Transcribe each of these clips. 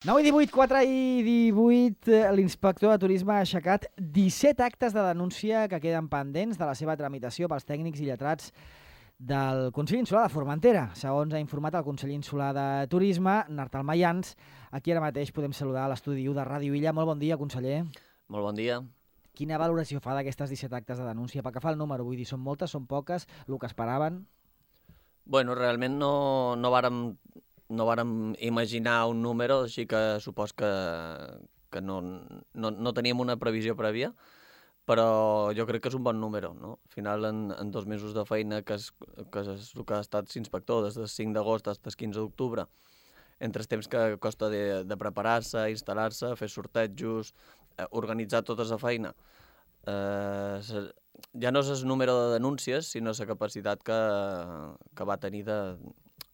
9 i 18, 4 i 18, l'inspector de turisme ha aixecat 17 actes de denúncia que queden pendents de la seva tramitació pels tècnics i lletrats del Consell Insular de Formentera. Segons ha informat el Consell Insular de Turisme, Nartal Mayans, aquí ara mateix podem saludar a l'estudi 1 de Ràdio Illa. Molt bon dia, conseller. Molt bon dia. Quina valoració fa d'aquestes 17 actes de denúncia? Pel que fa al número, vull dir, són moltes, són poques, el que esperaven? Bueno, realment no vàrem imaginar un número, així que supos que no teníem una previsió prèvia, però jo crec que és un bon número, no? Al final, en 2 mesos de feina, que és el que ha estat inspector, des del 5 d'agost fins al 15 d'octubre, entre els temps que costa de preparar-se, instal·lar-se, fer sortejos, organitzar tota la feina, ja no és el número de denúncies, sinó la capacitat que va tenir de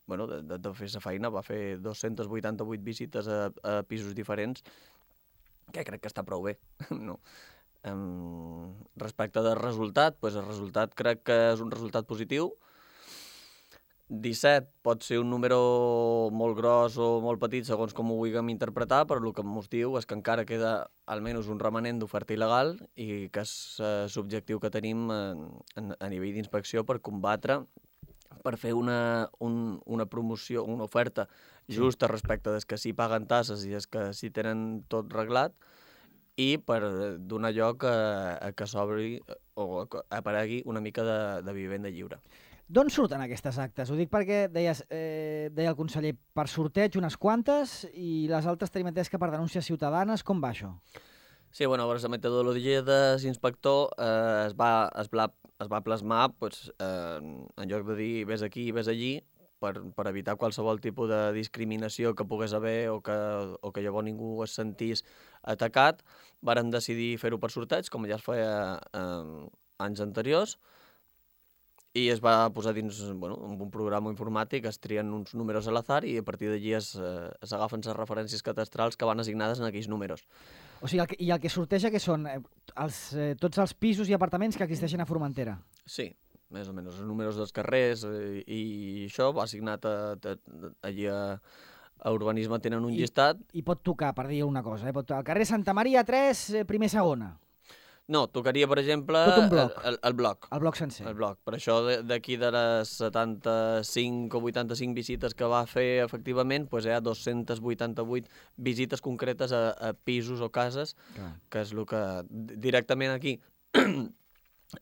fer la feina. Va fer 288 visites a pisos diferents, que crec que està prou bé, no? Respecte del resultat, el resultat crec que és un resultat positiu. 17 pot ser un número molt gros o molt petit, segons com ho vulguem interpretar, però el que ens diu és que encara queda almenys un remanent d'oferta il·legal i que és l'objectiu que tenim a nivell d'inspecció per combatre, per fer una promoció, una oferta justa respecte dels que sí paguen tasses i dels que sí tenen tot reglat, i per donar lloc a que s'obri o aparegui una mica de vivenda lliure. D'on surten aquestes actes? Ho dic perquè deia el conseller, per sorteig unes quantes i les altres tenim entès que per denúncies ciutadanes. Com va això? Sí, bueno, la metodologia de l'inspector es va plasmar en lloc de dir vés aquí i vés allí, per evitar qualsevol tipus de discriminació que pogués haver o que llavors ningú es sentís atacat. Vàrem decidir fer-ho per sorteig, com ja es feia anys anteriors, i es va posar dins un programa informàtic, es trien uns números a l'azar i a partir d'allí s'agafen les referències cadastrals que van assignades en aquells números. O sigui, i el que sorteja que són tots els pisos i apartaments que existeixen a Formentera? Sí, més o menys, els números dels carrers i això va assignat allí a Urbanisme, tenen un llistat. I pot tocar, per dir una cosa, al carrer Santa Maria 3, primer segona. No, tocaria, per exemple, el bloc. El bloc sencer. El bloc. Per això, d'aquí de les 75 o 85 visites que va fer, efectivament, hi ha 288 visites concretes a pisos o cases, que és el que directament aquí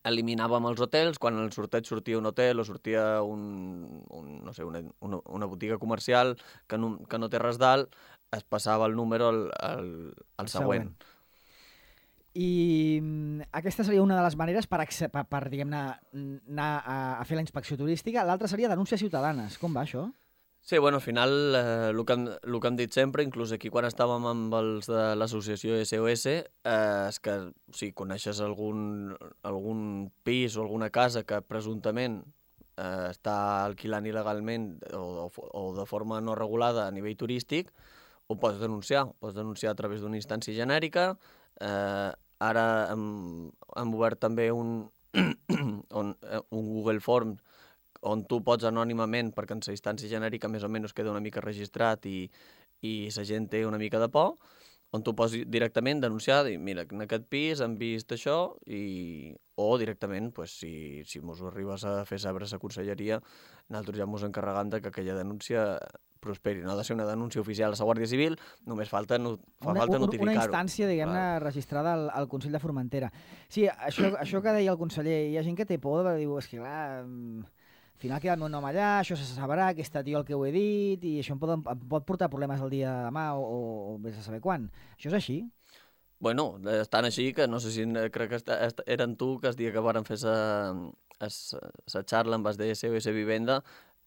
eliminàvem els hotels. Quan en el sorteig sortia un hotel o sortia una botiga comercial que no té res dalt, es passava el número al següent. I aquesta seria una de les maneres per diguem-ne, anar a fer la inspecció turística. L'altra seria denúncies ciutadanes. Com va això? Sí, al final, el que hem dit sempre, inclús aquí quan estàvem amb els de l'associació SOS, és que si coneixes algun pis o alguna casa que presumptament està alquilant il·legalment o de forma no regulada a nivell turístic, ho pots denunciar. Ho pots denunciar a través d'una instància genèrica. Ara hem obert també un Google Form on tu pots anònimament, perquè en la instància genèrica més o menys queda una mica registrat i la gent té una mica de por, on tu pots directament denunciar, dir, mira, en aquest pis hem vist això, o directament, si mos ho arribes a fer saber a la conselleria, nosaltres ja mos encarregam que aquella denúncia prosperi. No ha de ser una denúncia oficial a la Guàrdia Civil, només falta notificar-ho. Una instància, diguem-ne, registrada al Consell de Formentera. Sí, això que deia el conseller, hi ha gent que té por, diu, és que clar, al final queda el meu nom allà, això se sabrà, aquest tio el que ho he dit, i això em pot portar problemes el dia de demà o vés a saber quan. Això és així? Bueno, estan així, que no sé si crec que eren tu, que el dia que varen fer la xarla amb els de SOS Vivenda,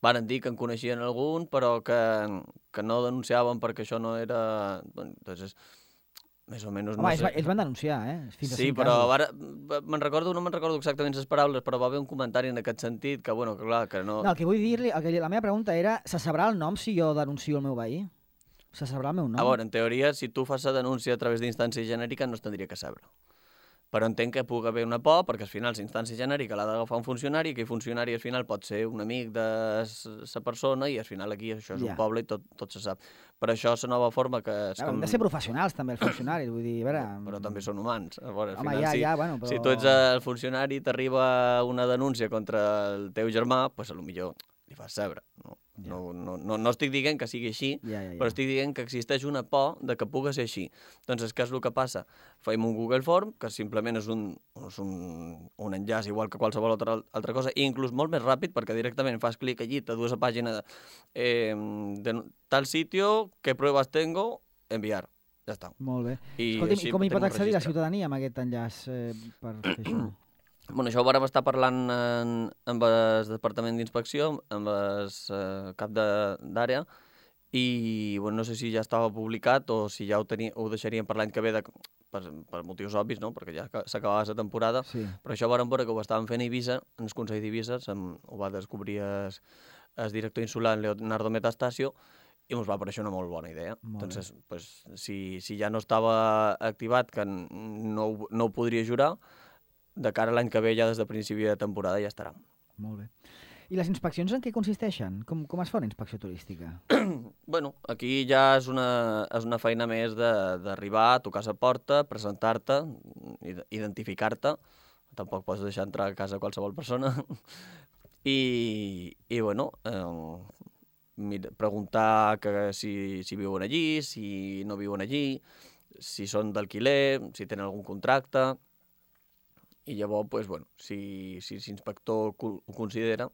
varen dir que en coneixien algun, però que no denunciaven perquè això no era... Doncs més o menys... Home, ells van denunciar, fins a 5 sí, però ara no me'n recordo exactament les paraules, però va haver un comentari en aquest sentit que, bueno, que clar, que no... No, el que vull dir-li, la meva pregunta era, se sabrà el nom si jo denuncio el meu veí? Se sabrà el meu nom? A veure, en teoria, si tu fas la denúncia a través d'instància genèrica, no es tindria que saber. però entenc que pugui haver una por, perquè al final la instància genèrica l'ha d'agafar un funcionari, i aquell funcionari al final pot ser un amic de la persona, i al final aquí això és un poble i tot se sap. Per això la nova forma que... Han de ser professionals també els funcionaris, vull dir, a veure... Però també són humans. A veure, al Home, final, bueno, però... si tu ets el funcionari i t'arriba una denúncia contra el teu germà, doncs potser li fas saber. No estic dient que sigui així, però estic dient que existeix una por de que pugui ser així. Doncs què és el que passa? Fem un Google Form, que simplement és un enllaç igual que qualsevol altra cosa, i inclús molt més ràpid, perquè directament fas clic allí, te dues a pàgina de tal sitio, què proves tengo, enviar. Ja està. Molt bé. Escolti'm, i com hi pot accedir la ciutadania amb aquest enllaç per fer això? Bueno, això ho vàrem estar parlant amb el Departament d'Inspecció, amb el cap d'àrea, i no sé si ja estava publicat o si ja ho deixaríem per l'any que ve per motius obvis, no? Perquè ja s'acabava la temporada, però això vàrem veure que ho estàvem fent a Eivissa, en el Consell d'Eivissa, ho va descobrir el director insular Leonardo Metastasio, i ens va aparèixer una molt bona idea. Entonces, si ja no estava activat, que no ho podria jurar, de cara a l'any que ve, ja des de principi de temporada, ja estarà. Molt bé. I les inspeccions en què consisteixen? Com es fa una inspecció turística? Bueno, aquí ja és una feina més d'arribar, tocar la porta, presentar-te, identificar-te. Tampoc pots deixar entrar a casa qualsevol persona. I bueno, preguntar si viuen allí, si no viuen allí, si són d'alquiler, si tenen algun contracte. I llavors, si l'inspector ho considera,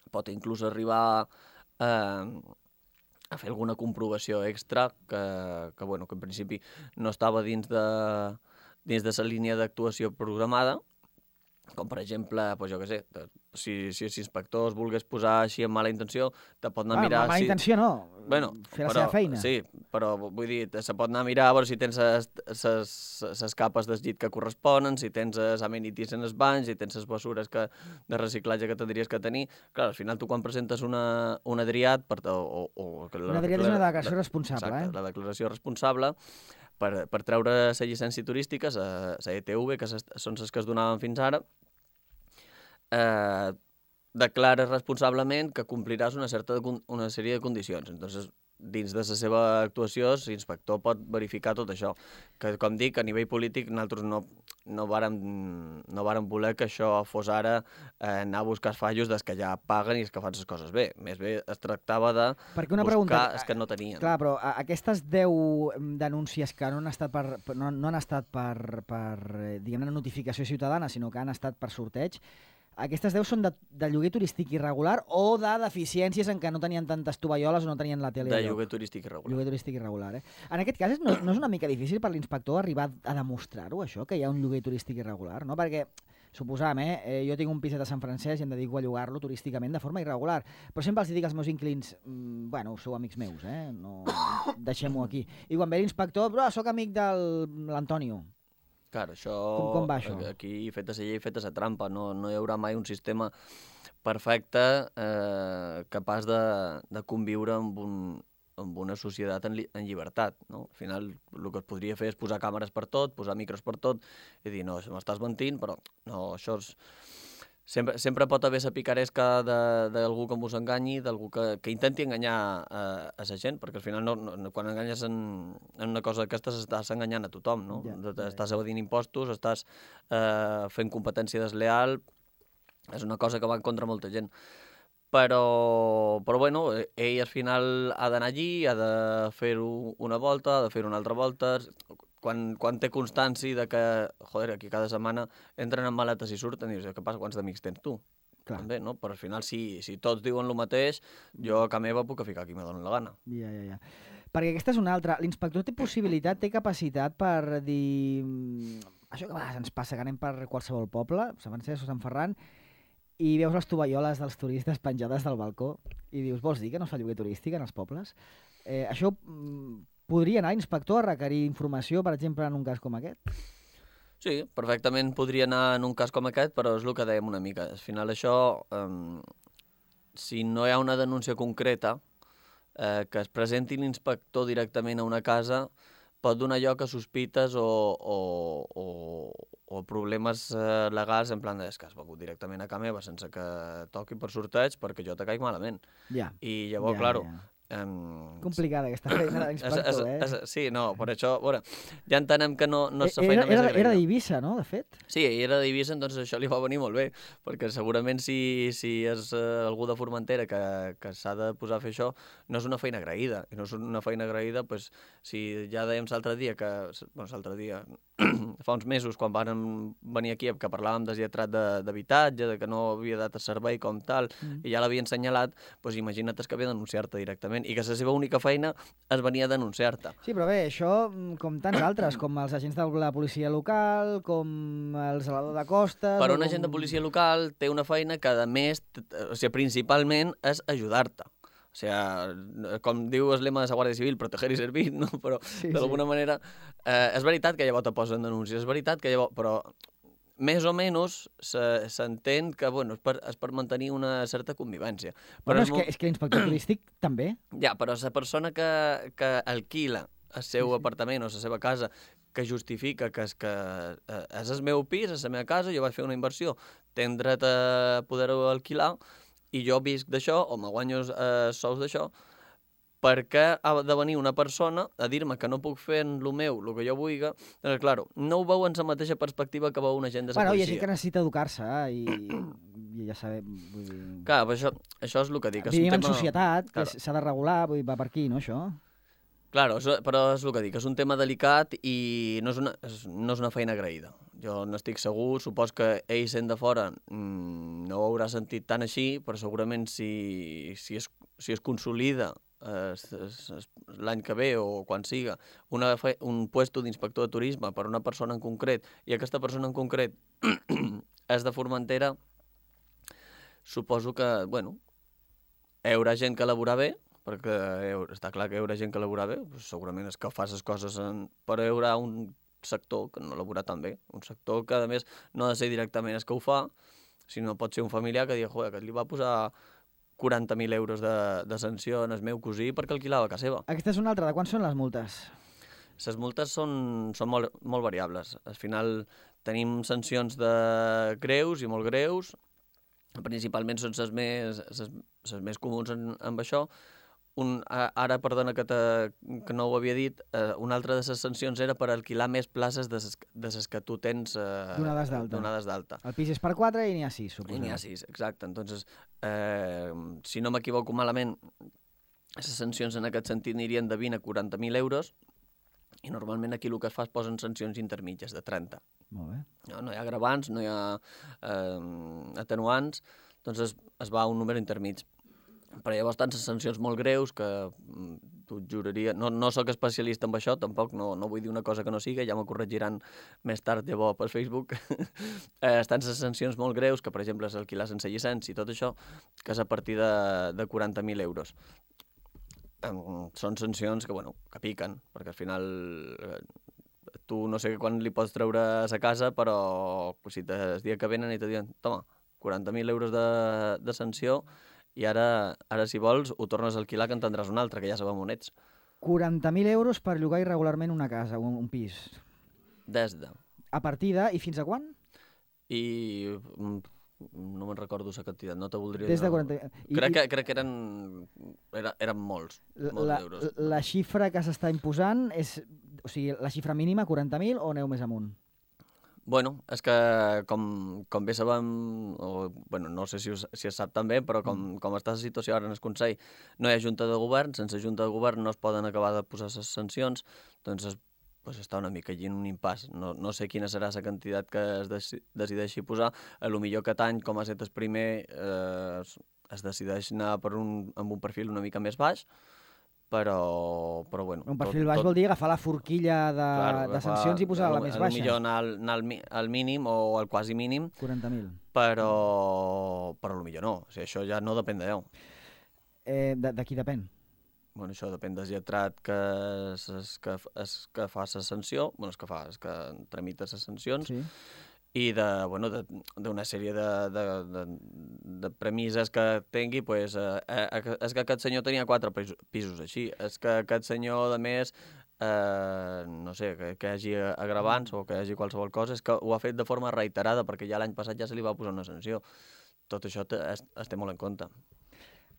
pot inclús arribar a fer alguna comprovació extra que en principi no estava dins de la línia d'actuació programada, com per exemple, jo què sé, si l'inspector es volgués posar així amb mala intenció, te pot anar a mirar... Amb mala intenció no, fer la seva feina. Sí, però vull dir, se pot anar a mirar a veure si tens les capes del llit que corresponen, si tens les amenities en els banys, si tens les bessures de reciclatge que tindries que tenir. Clar, al final tu quan presentes un adriat... Un adriat és una declaració responsable, exacte, la declaració responsable, per treure la llicència turística, la ETV, que són les que es donaven fins ara, declares responsablement que compliràs una sèrie de condicions. Entonces, dins de la seva actuació, l'inspector pot verificar tot això. Que, com dic, a nivell polític, nosaltres no vàrem voler que això fos ara anar a buscar fallos dels que ja paguen i els que fan les coses bé. Més bé es tractava de buscar els que no tenien. Clar, però aquestes 10 denúncies que no han estat per diguem-ne, notificació ciutadana, sinó que han estat per sorteig, aquestes 10 són de lloguer turístic irregular o de deficiències en què no tenien tantes tovalloles o no tenien la tele. De lloguer turístic irregular. Lloguer turístic irregular, eh? En aquest cas no és una mica difícil per l'inspector arribar a demostrar-ho, això, que hi ha un lloguer turístic irregular, no? Perquè, suposam, jo tinc un piset a Sant Francesc i em dedico a llogar-lo turísticament de forma irregular, però sempre els dic als meus inquilins, sou amics meus, no deixem-ho aquí. I quan ve l'inspector, soc amic de l'Antonio. Clar, això... Com va això? Aquí, feta la llei, feta la trampa. No hi haurà mai un sistema perfecte capaç de conviure amb una societat en llibertat. No? Al final, el que es podria fer és posar càmeres per tot, posar micros per tot, i dir, no, m'estàs mentint, però no, això és... Sempre pot haver la picaresca d'algú que us enganyi, d'algú que intenti enganyar a la gent, perquè al final quan enganyes en una cosa d'aquestes estàs enganyant a tothom, no? Estàs evadint impostos, estàs fent competència desleal, és una cosa que va en contra molta gent. Però ell al final ha d'anar allí, ha de fer-ho una volta, ha de fer-ho una altra volta... Quan té constància de que, aquí cada setmana entren en maletes i surten, i dius, què passa, quants d'amics tens tu? Clar. També, no? Però al final, si tots diuen el mateix, jo a casa meva puc ficar qui me doni la gana. Ja. Perquè aquesta és una altra. L'inspector té possibilitat, té capacitat per dir... Això que a vegades ens passa, que anem per qualsevol poble, Sant Francesc o Sant Ferran, i veus les tovalloles dels turistes penjades del balcó, i dius, vols dir que no es fa lloguer turístic en els pobles? Això... Podria anar l'inspector a requerir informació, per exemple, en un cas com aquest? Sí, perfectament podria anar en un cas com aquest, però és el que dèiem una mica. Al final això, si no hi ha una denúncia concreta, que es presenti l'inspector directament a una casa, pot donar lloc a sospites o o problemes legals en plan és que has begut directament a casa meva sense que toqui per sorteig perquè jo te caic malament. Ja. I llavors, claro... Complicada aquesta feina de l'inspector, Sí, no, per això, veure, ja entenem que no és la feina més agraïda. Era d'Eivissa, no, de fet? Sí, era d'Eivissa, doncs això li va venir molt bé, perquè segurament si és algú de Formentera que s'ha de posar a fer això, no és una feina agraïda, i no és una feina agraïda, doncs, si ja dèiem l'altre dia, fa uns mesos, quan van venir aquí, que parlàvem del lletrat d'habitatge, que no havia dat a servei com tal, i ja l'havien assenyalat, doncs imagina't que ve a denunciar-te directament, i que la seva única feina es venia a denunciar-te. Sí, però bé, això, com tants altres, com els agents de la policia local, com el zelador de costes... Però un agent de policia local té una feina que, a més, principalment és ajudar-te. O sigui, com diu el lema de la Guàrdia Civil, proteger i servir, no? Però d'alguna manera és veritat que llavors te posen denúncies, és veritat que llavors... Però més o menys s'entén que és per mantenir una certa convivència. Bueno, és que l'inspector turístic també. Ja, però la persona que alquila el seu apartament o la seva casa, que justifica que és el meu pis, és la meva casa, jo vaig fer una inversió, tenc dret a poder-ho alquilar, i jo visc d'això, o me guanyo sous d'això, perquè ha de venir una persona a dir-me que no puc fer en lo meu, el que jo vulgui, doncs, clar, no ho veu en la mateixa perspectiva que veu un agent de la policia. Hi ha gent que necessita educar-se, i ja sabem... Vull dir... Clar, això és el que dic. Vivim en societat, que s'ha de regular, vull dir, va per aquí, no, això? Claro, però és el que dic, és un tema delicat i no és una feina agraïda. Jo n'estic segur, supos que ell sent de fora no ho haurà sentit tan així, però segurament si es consolida l'any que ve o quan siga un puesto d'inspector de turisme per una persona en concret i aquesta persona en concret és de Formentera, suposo que, hi haurà gent que laborarà bé, perquè està clar que hi haurà gent que laborarà bé, segurament és que fa les coses, però hi haurà un sector que no laborarà tan bé, un sector que a més no ha de ser directament el que ho fa, sinó pot ser un familiar que digui, que li va posar 40.000 euros de sanció en el meu cosí perquè alquilava a casa seva. Aquesta és una altra, de quan són les multes? Les multes són molt variables. Al final tenim sancions de greus i molt greus, principalment són les més comuns amb això. Ara, perdona que no ho havia dit, una altra de les sancions era per alquilar més places de les que tu tens donades d'alta. El pis és per 4 i n'hi ha 6, suposo. I n'hi ha 6, exacte. Entonces, si no m'equivoco malament, les sancions en aquest sentit anirien de 20 a 40.000 euros i normalment aquí el que es fa es posen sancions intermitges de 30. Molt bé. No hi ha agravants, no hi ha atenuants, doncs es va a un número intermig. Però hi ha bastants sancions molt greus que t'ho juraria... No soc especialista en això, tampoc no vull dir una cosa que no siga, ja m'ho corregiran més tard llavors per Facebook. Estan les sancions molt greus, que per exemple és alquilar sense llicència i tot això, que és a partir de 40.000 euros. Són sancions que piquen, perquè al final tu no sé quan li pots treure a sa casa, però si el dia que venen i te diuen toma, 40.000 euros de sanció, i ara, si vols, ho tornes a alquilar que en tindràs un altre, que ja sabem on ets. 40.000 euros per llogar irregularment una casa, un pis. Des de. A partir de... I fins a quan? I no me'n recordo la quantitat, no te voldria... Des de 40... Crec que eren molts euros. La xifra que s'està imposant és... O sigui, la xifra mínima, 40.000, o aneu més amunt? Bueno, és que com bé sabem, no sé si es sap també, però com està la situació ara en el Consell, no hi ha junta de govern, sense junta de govern no es poden acabar de posar les sancions, doncs està una mica allí en un impàs. No sé quina serà la quantitat que es decideixi posar, a lo millor aquest any, com ha estat el primer, es decideix anar amb un perfil una mica més baix, però bueno... Un perfil baix vol dir agafar la forquilla de sancions i posar-la més baixa. Millor anar al mínim o al quasi mínim. 40.000. Però millor no. O sigui, això ja no depèn d'allò. De qui depèn? Bueno, això depèn del lletrat que fa la sanció, és que tramita les sancions, sí. I d'una sèrie de premisses que tingui, és que aquest senyor tenia 4 pisos així, és que aquest senyor, a més, no sé, que hi hagi agravants o que hi hagi qualsevol cosa, és que ho ha fet de forma reiterada, perquè ja l'any passat ja se li va posar una sanció. Tot això es té molt en compte.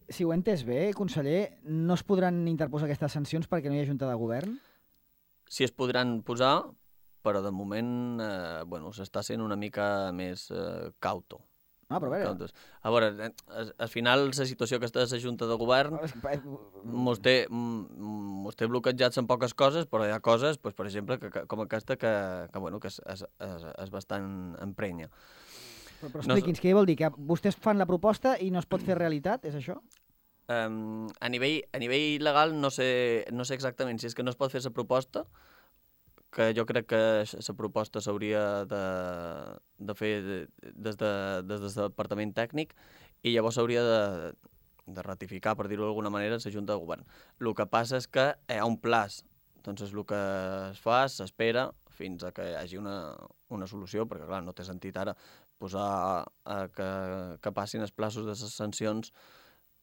Si ho he entès bé, conseller, no es podran interposar aquestes sancions perquè no hi ha junta de govern? Si es podran posar, però de moment s'està sent una mica més cauto. Però a veure, al final la situació aquesta de la Junta de Govern mos té bloquejats en poques coses, però hi ha coses, per exemple, com aquesta que és bastant emprenya. Però expliqui'ns, què vol dir? Que vostès fan la proposta i no es pot fer realitat, és això? A nivell legal no sé exactament si és que no es pot fer la proposta, que jo crec que la proposta s'hauria de fer des del departament tècnic i llavors s'hauria de ratificar, per dir-ho d'alguna manera, la Junta de Govern. El que passa és que hi ha un plaç, doncs el que es fa, s'espera fins a que hi hagi una solució, perquè clar, no té sentit ara posar que passin els plaços de les sancions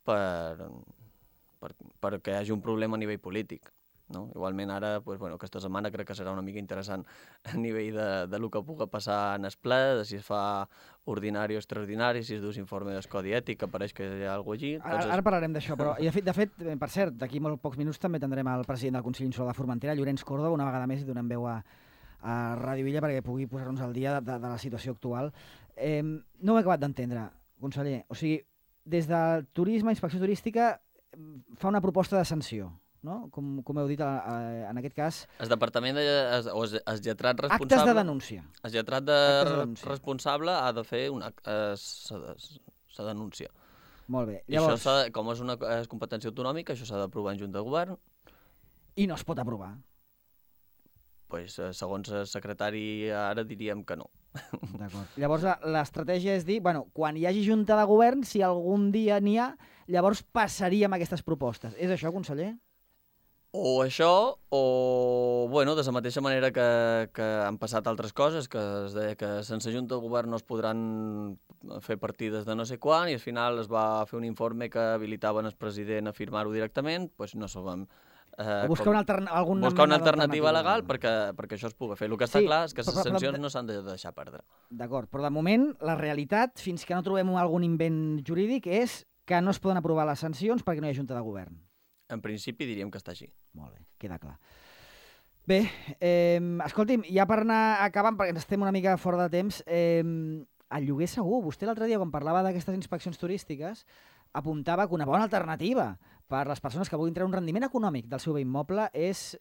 perquè hi hagi un problema a nivell polític. No? Igualment ara, aquesta setmana crec que serà una mica interessant a nivell de lo que pugui passar en el ple, de si es fa ordinari o extraordinari, si es dus informe del codi ètic, que pareix que hi ha alguna cosa allí. Ara parlarem d'això, però de fet, per cert, d'aquí molt pocs minuts també tindrem el president del Consell Insular de Formentera, Llorenç Córdoba, una vegada més i donem veu a Ràdio Illa perquè pugui posar-nos al dia de la situació actual. No ho he acabat d'entendre, conseller. O sigui, des del turisme, inspecció turística, fa una proposta de sanció, no? Com heu dit, en aquest cas... El departament, o el lletrat responsable... Actes de denúncia. El lletrat responsable ha de fer la denúncia. Molt bé. Llavors... I això, com és una competència autonòmica, això s'ha d'aprovar en Junta de Govern. I no es pot aprovar. Pues, segons el secretari, ara diríem que no. D'acord. Llavors, l'estratègia és dir, quan hi hagi Junta de Govern, si algun dia n'hi ha, llavors passaríem aquestes propostes. És això, conseller? O això, o, de la mateixa manera que han passat altres coses, que es deia que sense Junta de Govern no es podran fer partides de no sé quan, i al final es va fer un informe que habilitaven el president a firmar-ho directament, doncs no sabem... Buscar una alternativa legal perquè això es pugui fer. El que està clar és que les sancions no s'han de deixar perdre. D'acord, però de moment la realitat, fins que no trobem algun invent jurídic, és que no es poden aprovar les sancions perquè no hi ha Junta de Govern. En principi diríem que està així. Molt bé, queda clar. Bé, escolti'm, ja per anar acabant, perquè estem una mica fora de temps, el lloguer segur. Vostè l'altre dia, quan parlava d'aquestes inspeccions turístiques, apuntava que una bona alternativa per les persones que vulguin treure un rendiment econòmic del seu bé immoble és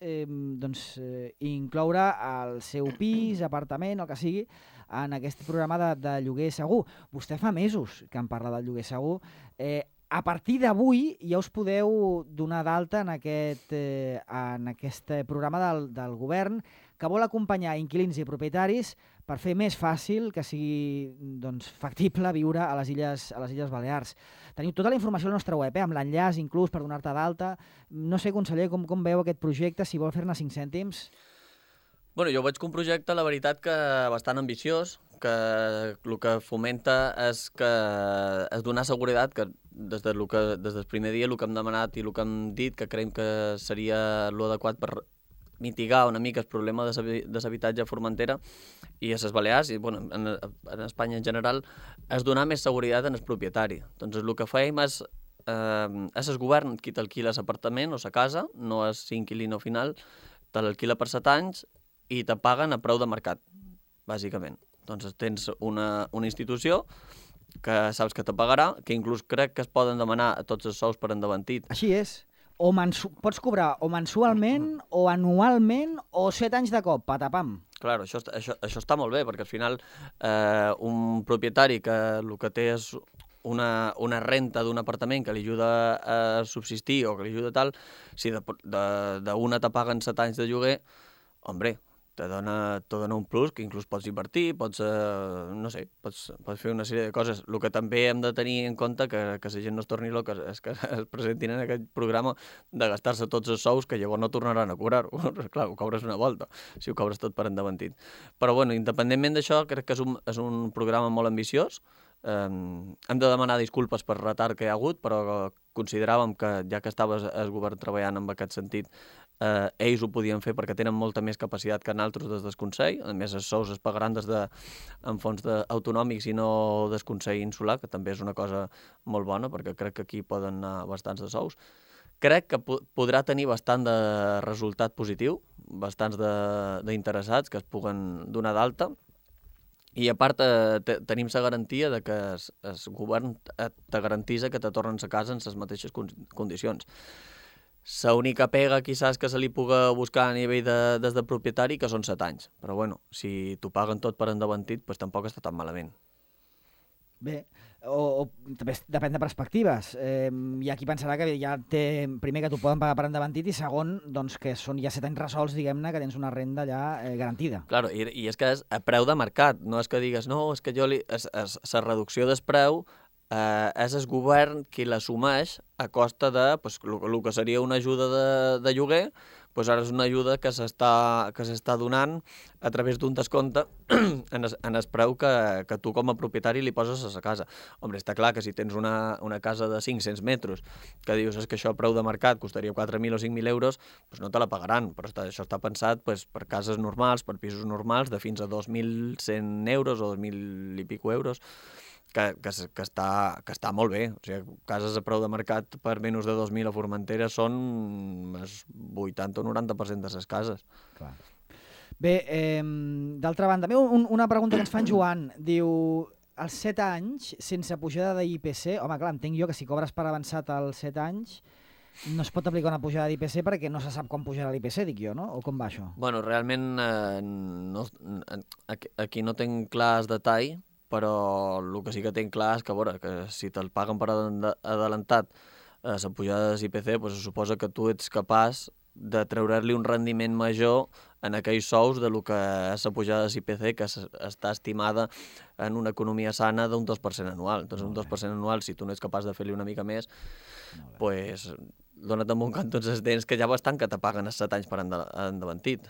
incloure el seu pis, apartament, el que sigui, en aquest programa de lloguer segur. Vostè fa mesos que en parla del lloguer segur. A partir d'avui ja us podeu donar d'alta en aquest programa del govern que vol acompanyar inquilins i propietaris per fer més fàcil que sigui factible viure a les Illes Balears. Teniu tota la informació a la nostra web, amb l'enllaç inclús per donar-te d'alta. No sé, conseller, com veu aquest projecte, si vol fer-ne 5 cèntims. Jo veig que un projecte, la veritat, que bastant ambiciós, que el que fomenta és donar seguretat, que des del primer dia el que hem demanat i el que hem dit, que creiem que seria l'adequat per mitigar una mica el problema de l'habitatge a Formentera i a les Balears, i en Espanya en general, és donar més seguretat en el propietari. Doncs el que fèiem és el govern qui t'alquila l'apartament o la casa, no és inquilino final, te l'alquila per 7 anys i te paguen a preu de mercat, bàsicament. Doncs tens una institució que saps que te pagarà, que inclús crec que es poden demanar tots els sous per endavantit. Així és. Pots cobrar o mensualment, o anualment, o 7 anys de cop, patapam. Clar, això està molt bé, perquè al final un propietari que el que té és una renta d'un apartament que li ajuda a subsistir o que li ajuda tal, si d'una te paguen 7 anys de lloguer, hombre, te dona un plus que inclús pots invertir, pots fer una sèrie de coses. El que també hem de tenir en compte que la gent no es torni loca és que es presentin en aquest programa de gastar-se tots els sous que llavors no tornaran a cobrar-ho. Clar, ho cobres una volta, si ho cobres tot per endavantit. Però, independentment d'això, crec que és un programa molt ambiciós. Hem de demanar disculpes per retard que hi ha hagut, però consideràvem que, ja que estava el govern treballant en aquest sentit, ells ho podien fer perquè tenen molta més capacitat que nosaltres des del Consell. A més, els sous es pagaran en fons autonòmics i no del Consell Insular, que també és una cosa molt bona, perquè crec que aquí poden anar bastants de sous. Crec que podrà tenir bastant de resultat positiu, bastants d'interessats que es puguen donar d'alta, i a part tenim la garantia de que el govern te garantisa que te tornen a casa en les mateixes condicions. L'única pega, quizás, que se li puga buscar a nivell des del propietari, que són 7 anys. Però bueno, si t'ho paguen tot per endavantit, doncs tampoc està tan malament. Bé, o també depèn de perspectives. Hi ha qui pensarà que ja té, primer, que t'ho poden pagar per endavantit, i segon, doncs, que són ja 7 anys resolts, diguem-ne, que tens una renda ja garantida. Claro, i és que és a preu de mercat, no és que digues, no, és que la reducció del preu és el govern qui l'assumeix a costa de el que seria una ajuda de lloguer, doncs ara és una ajuda que s'està donant a través d'un descompte en el preu que tu com a propietari li poses a la casa. Home, està clar que si tens una casa de 500 metres que dius que això a preu de mercat costaria 4.000 o 5.000 euros, doncs no te la pagaran, però això està pensat per cases normals, per pisos normals de fins a 2.100 euros o 2.000 i pico euros, que està molt bé. O sigui, cases a preu de mercat per menys de 2.000 a Formentera són el 80 o 90% de les cases. Clar. Bé, d'altra banda, una pregunta que ens fa en Joan. Diu, als 7 anys, sense pujada d'IPC, home, clar, entenc jo que si cobres per avançat als 7 anys, no es pot aplicar una pujada d'IPC perquè no se sap com pujarà l'IPC, dic jo, no? O com va això? Bueno, realment aquí no tinc clar el detall, però el que sí que tinc clar és que si te'l paguen per adelantat la pujada de l'IPC, doncs se suposa que tu ets capaç de treure-li un rendiment major en aquells sous de lo que és la pujada de l'IPC, que està estimada en una economia sana d'un 2% anual. Doncs un 2% anual, si tu no ets capaç de fer-li una mica més, doncs dona't amb un canto els dents, que ja bastant que te paguen els 7 anys per endavantit.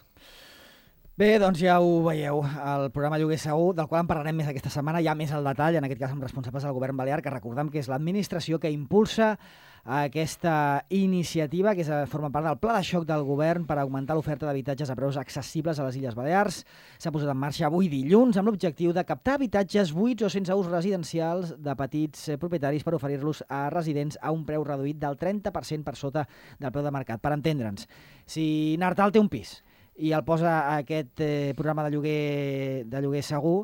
Bé, doncs ja ho veieu, el programa Lloguer Segur, del qual en parlarem més aquesta setmana, ja més al detall, en aquest cas amb responsables del govern balear, que recordem que és l'administració que impulsa aquesta iniciativa, que forma part del pla de xoc del govern per augmentar l'oferta d'habitatges a preus accessibles a les Illes Balears. S'ha posat en marxa avui dilluns amb l'objectiu de captar habitatges buits o sense ús residencials de petits propietaris per oferir-los a residents a un preu reduït del 30% per sota del preu de mercat. Per entendre'ns, si Nartal té un pis i el posa aquest programa de lloguer segur,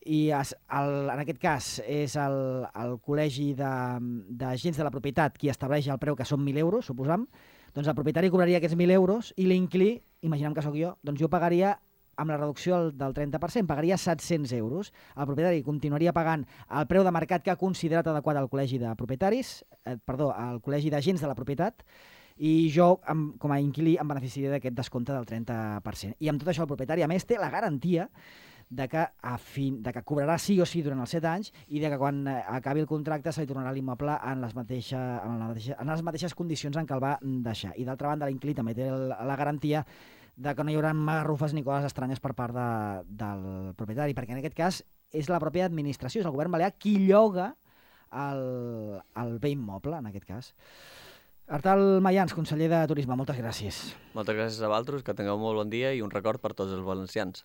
i en aquest cas és el Col·legi d'Agents de la Propietat qui estableix el preu, que són 1.000 euros, suposam, doncs el propietari cobraria aquests 1.000 euros i l'inquilí, imaginem que sóc jo, doncs jo pagaria amb la reducció del 30%, pagaria 700 euros. El propietari continuaria pagant el preu de mercat que ha considerat adequat al Col·legi de Propietaris, al Col·legi d'Agents de la Propietat, i jo, com a inquilí, em beneficiaria d'aquest descompte del 30%. I amb tot això el propietari, a més, té la garantia de que cobrarà sí o sí durant els 7 anys i de que quan acabi el contracte se li tornarà l'immoble en les mateixes condicions en què el va deixar. I d'altra banda, l'inquilí també té la garantia de que no hi haurà magarrufes ni coses estranyes per part del propietari, perquè en aquest cas és la pròpia administració, és el govern balear qui lloga el bé immoble, en aquest cas. Artal Mayans, conseller de Turisme, moltes gràcies. Moltes gràcies a vosaltres, que tingueu molt bon dia i un record per tots els valencians.